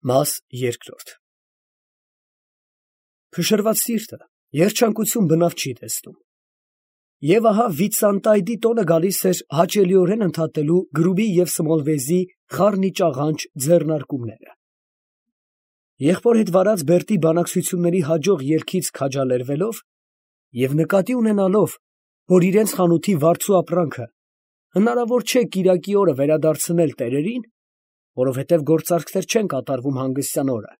Մաս երկրորդ Փշրված սիրտը երջանկություն բնավ չի տեսնում, և ահա Վիտսանտայդի տոնը գալիս էր հաճելիորեն ընդհատելու Գրուբի և Սմոլվեզի խառնիճաղանճ ձեռնարկումները։ Եղբոր հետ վարած Բերտի բանակցությունների հաջող ելքից քաջալերվելով և նկատի ունենալով, որ իրենց խանութի վարձու ապրանքը հնարավոր չէ կիրակի օրը վերադարձնել տերերին, որովհետև գործարքներ չեն կատարվում հանգստյան օրը,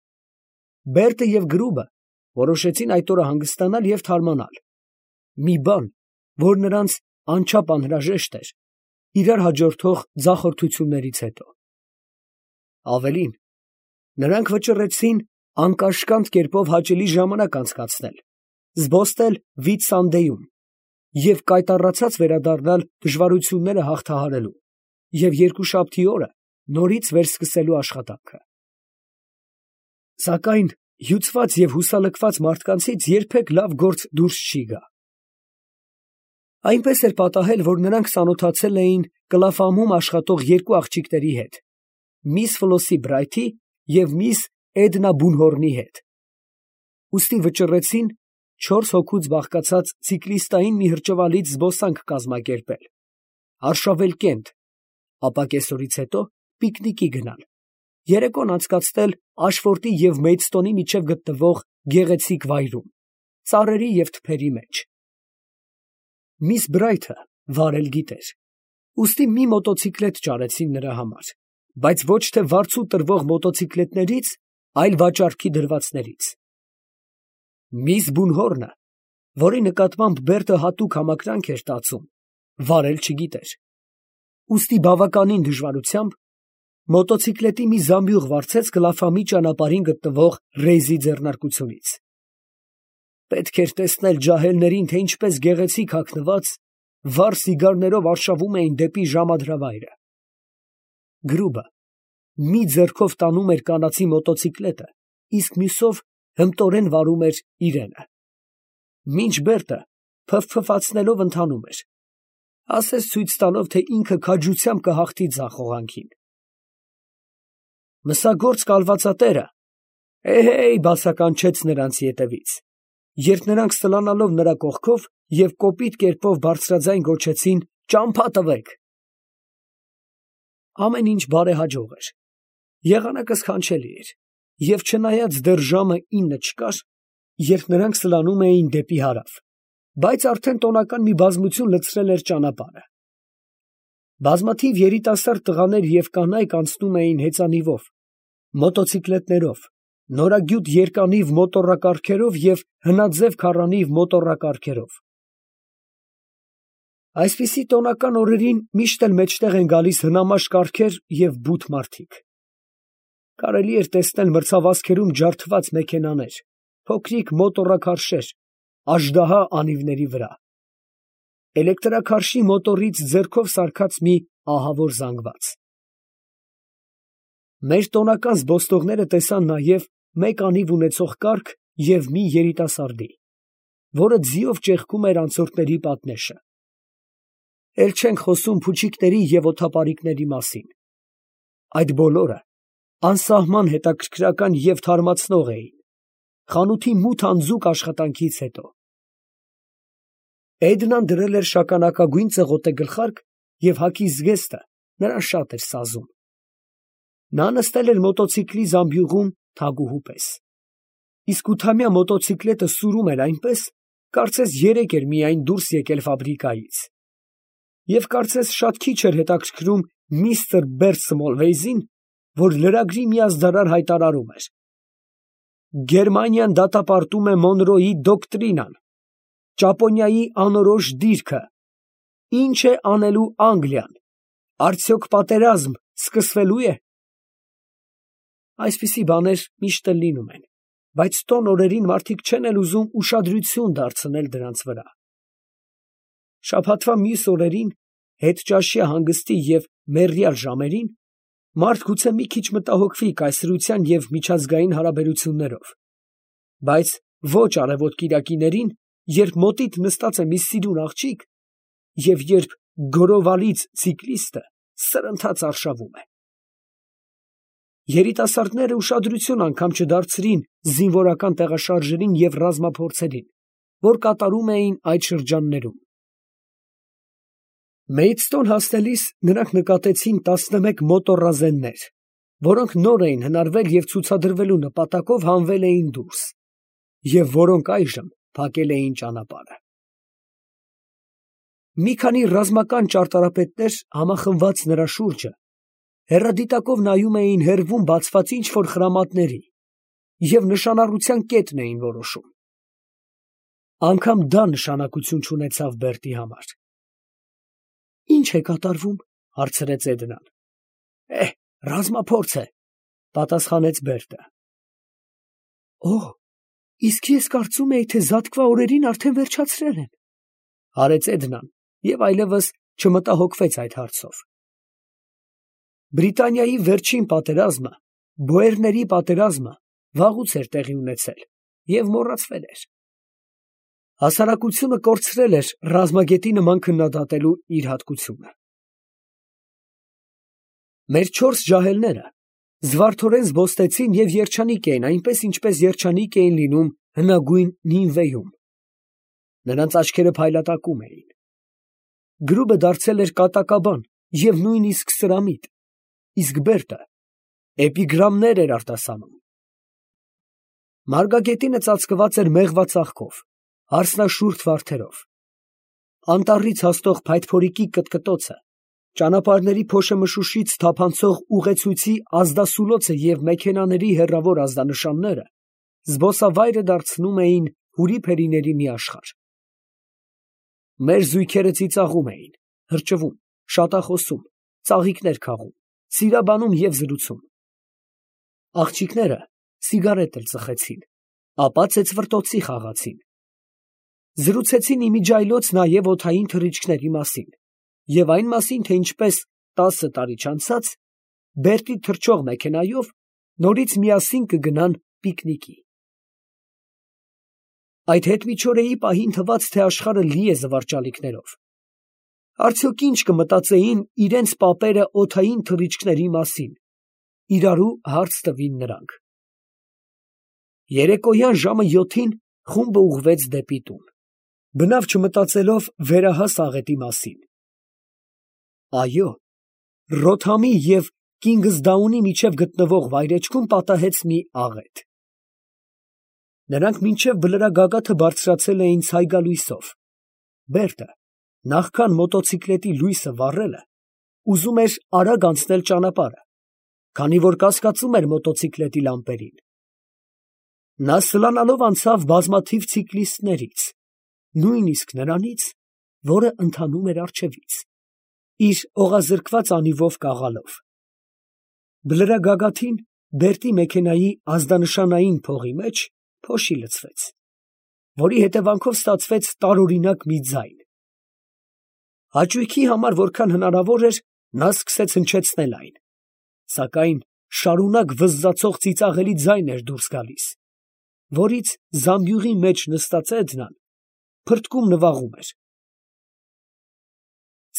Բերտը և Գրուբը որոշեցին այդ օրը հանգստանալ և թարմանալ, մի բան, որ նրանց անչափ անհրաժեշտ էր իրար հաջորդող ձախորդություններից հետո։ Ավելին, նրանք վճռեցին անկաշկանդ կերպով հաճելի ժամանակ անցկացնել, զբոսնել Վիտսանդեում և կայտառացած վերադառնալ դժվարությունները հաղթահարելու և երկուշաբթի օրը նորից վերսկսելու աշխատանքը։ Սակայն հյուծված և հուսալքված մարդկանցից երբեք լավ գործ դուրս չի գա։ Այնպես էր պատահել, որ նրանք ծանոթացել էին Կլաֆամում աշխատող երկու աղջիկների հետ, միս Ֆլոսսի Բրայթի և միս Էդնա Բունհորնի հետ, ուստի վճռեցին 4 հոգուց բաղկացած ցիկլիստային մի հրճվալից զբոսանք կազմակերպել, արշավել Կենտ, ապա կեսօրից հետո պիկնիկի գնալ, երեկոն անցկացնել Աշֆորտի և Մեյդստոնի միջև գտնվող գեղեցիկ վայրում, ծառերի և թփերի մեջ։ Միս Բրայթը վարել գիտեր, ուստի մի մոտոցիկլետ ճարեցին նրա համար, բայց ոչ թե վարձու տրվող մոտոցիկլետներից, այլ վաճառքի դրվածներից։ Միս Բունհորնը, որի նկատմամբ Բերտը հատուկ համակրանք էր տածում, վարել չգիտեր, ուստի բավականին դժվարությամբ մոտոցիկլետի մի զամբյուղ վարձեց Կլաֆամի ճանապարհին գտնվող Ռեյզի ձեռնարկությունից։ Պետք էր տեսնել ջահելներին, թե ինչպես գեղեցիկ հագնված, վառ սիգարներով արշավում էին դեպի ժամադրավայրը։ Գրուբը մի ձեռքով տանում էր կանացի մոտոցիկլետը, իսկ մյուսով հմտորեն վարում էր իրենը, մինչ Բերտը փվփվացնելով ընթանում էր, ասես ցույց տալով, թե ինքը քաջությամբ կհաղթի ձախողանքին։ Մսագործ կալվածատերը «Հեյ» բացականչեց նրանց ետևից, երբ նրանք սլանալով նրա կողքով և կոպիտ կերպով բարձրաձայն գոչեցին. «Ճամփա տվեք»։ Ամեն ինչ բարեհաջող էր, եղանակը սքանչելի էր, և չնայած դեռ ժամը 9 չկար, երբ նրանք սլանում էին դեպի հարավ, բայց արդեն տոնական մի բազմություն լցրել էր ճանապարհը։ Բազմաթիվ երիտասարդ տղաներ և կանայք անցնում էին հեծանիվով, մոտոցիկլետներով, նորագյուտ երկանիվ մոտոռակառքերով և հնաձև քառանիվ մոտոռակառքերով։ Այսպիսի տոնական օրերին միշտ էլ մեջտեղ են գալիս հնամաշ կառքեր և բութ մարդիկ։ Կարելի էր տեսնել մրցավազքերում ջարդված մեքենաներ, փոքրիկ մոտոռաքարշեր, աժդահա անիվների վրա, էլեկտրաքարշի մոտոռից ձեռքով սարքած մի ահավոր զանգված։ Մեր տոնական զբոսնողները տեսան նաև մեկ անիվ ունեցող կառք և մի երիտասարդի, որը ձիով ճեղքում էր անցորդների պատնեշը։ Էլ չենք խոսում փուչիկների և օդապարիկների մասին։ Այդ բոլորը անսահման հետաքրքրական և թարմացնող էին, խանութի մութ անձուկ աշխատանքից հետո։ Էդնան դրել էր շագանակագույն ծղոտե գլխարկ և հագի զգեստը նրան շատ էր սազում։ Նա նստել էր մոտոցիկլի զամբյուղում թագուհու պես, իսկ ութամյա մոտոցիկլետը սուրում էր այնպես, կարծես երեկ էր միայն դուրս եկել ֆաբրիկայից, և կարծես շատ քիչ էր հետաքրքրում միստր Բերտ Սմոլվեյզին, որ լրագրի մի ազդարար հայտարարում էր. «Գերմանիան դատապարտում է Մոնրոյի դոկտրինան, Ճապոնիայի անորոշ դիրքը, ի՞նչ է անելու Անգլիան, արդյոք պատերազմ սկսվելո՞ւ է»։ Այսպիսի բաներ միշտ էլ լինում են, բայց տոն օրերին մարդիկ չեն էլ ուզում ուշադրություն դարձնել դրանց վրա։ Շաբաթվա մյուս օրերին, հետճաշյա հանգստի և մեռյալ ժամերին, մարդ գուցե մի քիչ մտահոգվի կայսրության և միջազգային հարաբերություններով, բայց ոչ արևոտ կիրակիներին, երբ մոտիդ նստած է մի սիրուն աղջիկ, և երբ գորովալից ցիկլիստը սրընթաց արշավում է։ Երիտասարդները ուշադրություն անգամ չդարձրին զինվորական տեղաշարժերին և ռազմափորձերին, որ կատարում էին այդ շրջաններում։ Մեյդստոն հասնելիս նրանք նկատեցին 11 մոտոռազեններ, որոնք նոր էին հնարվել և ցուցադրվելու նպատակով հանվել էին դուրս, և որոնք այժմ փակել էին ճանապարհը։ Մի քանի ռազմական ճարտարապետներ համախմբված նրա շուրջը հեռադիտակով նայում էին հեռվում բացված ինչ֊որ խրամատների և նշանառության կետն էին որոշում։ Անգամ դա նշանակություն չունեցավ Բերտի համար։ «Ի՞նչ է կատարվում», հարցրեց Էդնան։ Ռազմափորձ է, պատասխանեց Բերտը։ Օհ, իսկ ես կարծում էի, թե զատկվա օրերին արդեն վերջացրել են, հարեց Էդնան և այլևս չմտահոգվեց այդ հարցով։ Բրիտանիայի վերջին պատերազմը, բոերների պատերազմը, վաղուց էր տեղի ունեցել և մոռացվել էր։ Հասարակությունը կորցրել էր ռազմագետի նման քննադատելու իր հատկությունը։ Մեր 4 ջահելները զվարթորեն զբոստեցին և երջանիկ էին, այնպես ինչպես երջանիկ էին լինում հնագույն Նինվեում։ Նրանց աչքերը փայլատակում էին։ Գրուբը դարձել էր կատակաբան և նույնիսկ սրամիտ, իսկ Բերտը էպիգրամներ էր արտասանում։ Մարգագետինը ծածկված էր մեղվածաղկով, հարսնաշուրթ վարդերով։ Անտառից հասնող փայտփորիկի կտկտոցը, ճանապարհների փոշեմշուշից թափանցող ուղեցույցի ազդասուլոցը և մեքենաների հեռավոր ազդանշանները զբոսավայրը դարձնում էին հուրիփերիների մի աշխարհ։ Մեր զույգերը ծիծաղում էին, հրճվում, շատախոսում, ծաղիկներ քաղում, սիրաբանում և զրուցում։ Աղջիկները սիգարետ էլ ծխեցին, ապա ծեծվռտոցի խաղացին։ Զրուցեցին իմիջիայլոց նաև օդային թռիչքների մասին և այն մասին, թե ինչպես 10 տարի չանցած Բերտի թռչող մեքենայով նորից միասին կգնան պիկնիկի։ Այդ հետմիջօրեի պահին թվաց, թե աշխարհը լի է զվարճալիքներով։ Արդյոք ինչ կմտածեին իրենց պապերը օդային թռիչքների մասին, իրարու հարց տվին նրանք։ Երեկոյան ժամը 7-ին խումբը ուղղվեց դեպի տուն, բնավ չմտածելով վերահաս աղետի մասին։ Այո, Ռոթհամի և Կինգսդաունի միջև գտնվող վայրէջքում պատահեց մի աղետ։ Նրանք մինչև բլրագագաթը բարձրացել էին ցայգալույսով։ Բերտը, նախքան մոտոցիկլետի լույսը վառելը, ուզում էր արագ անցնել ճանապարհը, քանի որ կասկածում էր մոտոցիկլետի լամպերին։ Նա սլանալով անցավ բազմաթիվ ցիկլիստներից, նույնիսկ նրանից, որը ընթանում էր առջևից, իր օղազրկված անիվով կաղալով։ Բլրագագաթին Բերտի մեքենայի ազդանշանային փողի մեջ փոշի լցվեց, որի հետևանքով ստացվեց տարօրինակ մի ձայն։ Հաճույքի համար որքան հնարավոր էր, նա սկսեց հնչեցնել այն, սակայն շարունակ վզզացող ծիծաղելի ձայն էր դուրս գալիս, որից զամբյուղի մեջ նստած Էդնան փրթկում նվաղում էր։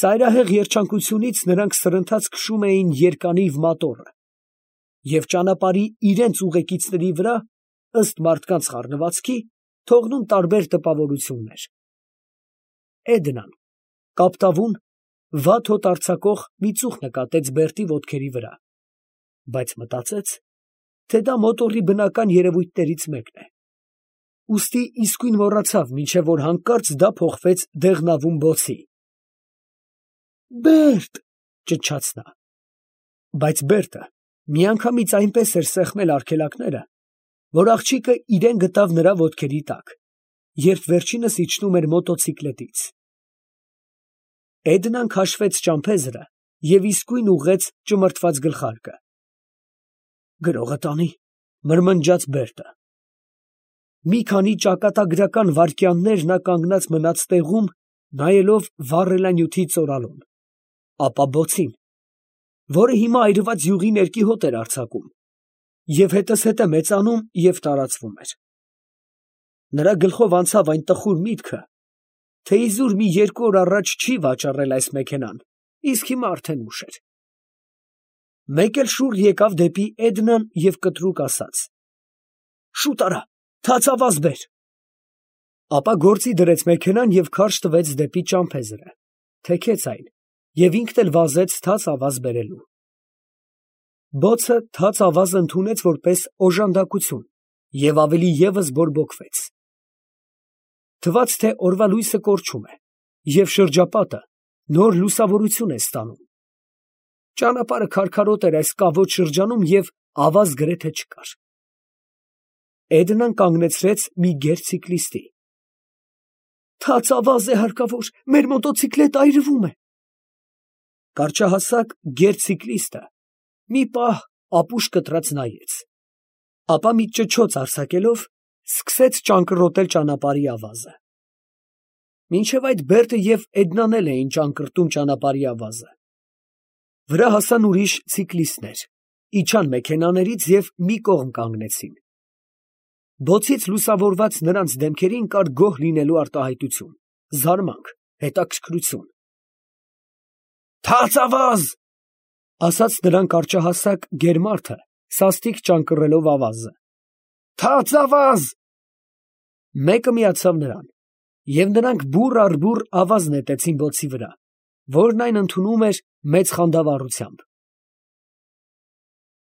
Ծայրահեղ երջանկությունից նրանք սրընթաց քշում էին երկանիվ մատոռը և ճանապարհի իրենց ուղեկիցների վրա, ըստ մարդկանց խառնվածքի, թողնում տարբեր տպավորություններ։ Էդնան կապտավուն, վատ հոտ արձակող մի ծուխ նկատեց Բերտի ոտքերի վրա, բայց մտածեց, թե դա մոտոռի բնական երևույթներից մեկն է, ուստի իսկույն մոռացավ, մինչև որ հանկարծ դա փոխվեց դեղնավուն բոցի։ «Բերտ», ճչաց նա։ Բայց Բերտը միանգամից այնպես էր սեղմել արգելակները, որ աղջիկը իրեն գտավ նրա ոտքերի տակ, երբ վերջինս իջնում էր մոտոցիկլետից։ Էդնան քաշվեց ճամփեզը և իսկույն ուղղեց ճմրթված գլխարկը։ «Գրողը տանի», մրմնջաց Բերտը։ Մի քանի ճակատագրական վայրկյաններ նա կանգնած մնաց տեղում, նայելով վառելանյութի ծորալուն, ապա բոցին, որը հիմա այրված յուղի ներքի հոտ էր արձակում և հետզհետե մեծանում և տարածվում էր։ Նրա գլխով անցավ այն տխուր միտքը, թե իզուր մի 2 օր առաջ չի վաճառել այս մեքենան, իսկ հիմա արդեն ուշ էր։ Մեկ էլ շուռ եկավ դեպի Էդնան և կտրուկ ասաց. «Շուտ արա, թաց ավազ բեր»։ Ապա գործի դրեց մեքենան և քարշ տվեց դեպի ճամփեզրը, թեքեց այն և ինքն էլ վազեց թաց ավազ բերելու։ Բոցը թաց ավազը ընդունեց որպես օժանդակություն և ավելի ևս բորբոքվեց։ Թվաց, թե օրվա լույսը կորչում է, և շրջապատը նոր լուսավորություն է ստանում։ Ճանապարհը քարքարոտ էր այս կավոտ շրջանում և ավազ գրեթե չկար։ Էդնան կանգնեցրեց մի գերցիկլիստի։ «Թաց ավազ է հարկավոր, մեր մոտոցիկլետը այրվում է»։ Կարճահասակ գերցիկլիստը մի պահ ապուշ կտրած նայեց, ապա մի ճչոց արձակելով սկսեց ճանկռոտել ճանապարհի ավազը։ Մինչև այդ Բերտը և Էդնան էլ էին ճանկռտում ճանապարհի ավազը։ Վրա հասան ուրիշ ցիկլիստներ, իջան մեքենաներից և մի կողմ կանգնեցին։ Բոցից լուսավորված նրանց դեմքերին կար գոհ լինելու արտահայտություն, զարմանք, հետաքրքրություն։ «Թաց ավազ», ֊ ասաց նրան կարճահասակ գերմարդը, սաստիկ ճանկռելով ավազը։ «Թաց ավազ»։ Մեկը միացավ նրան, և նրանք բուռ առ բուռ ավազ նետեցին բոցի վրա, որն այն ընդունում էր մեծ խանդավառությամբ։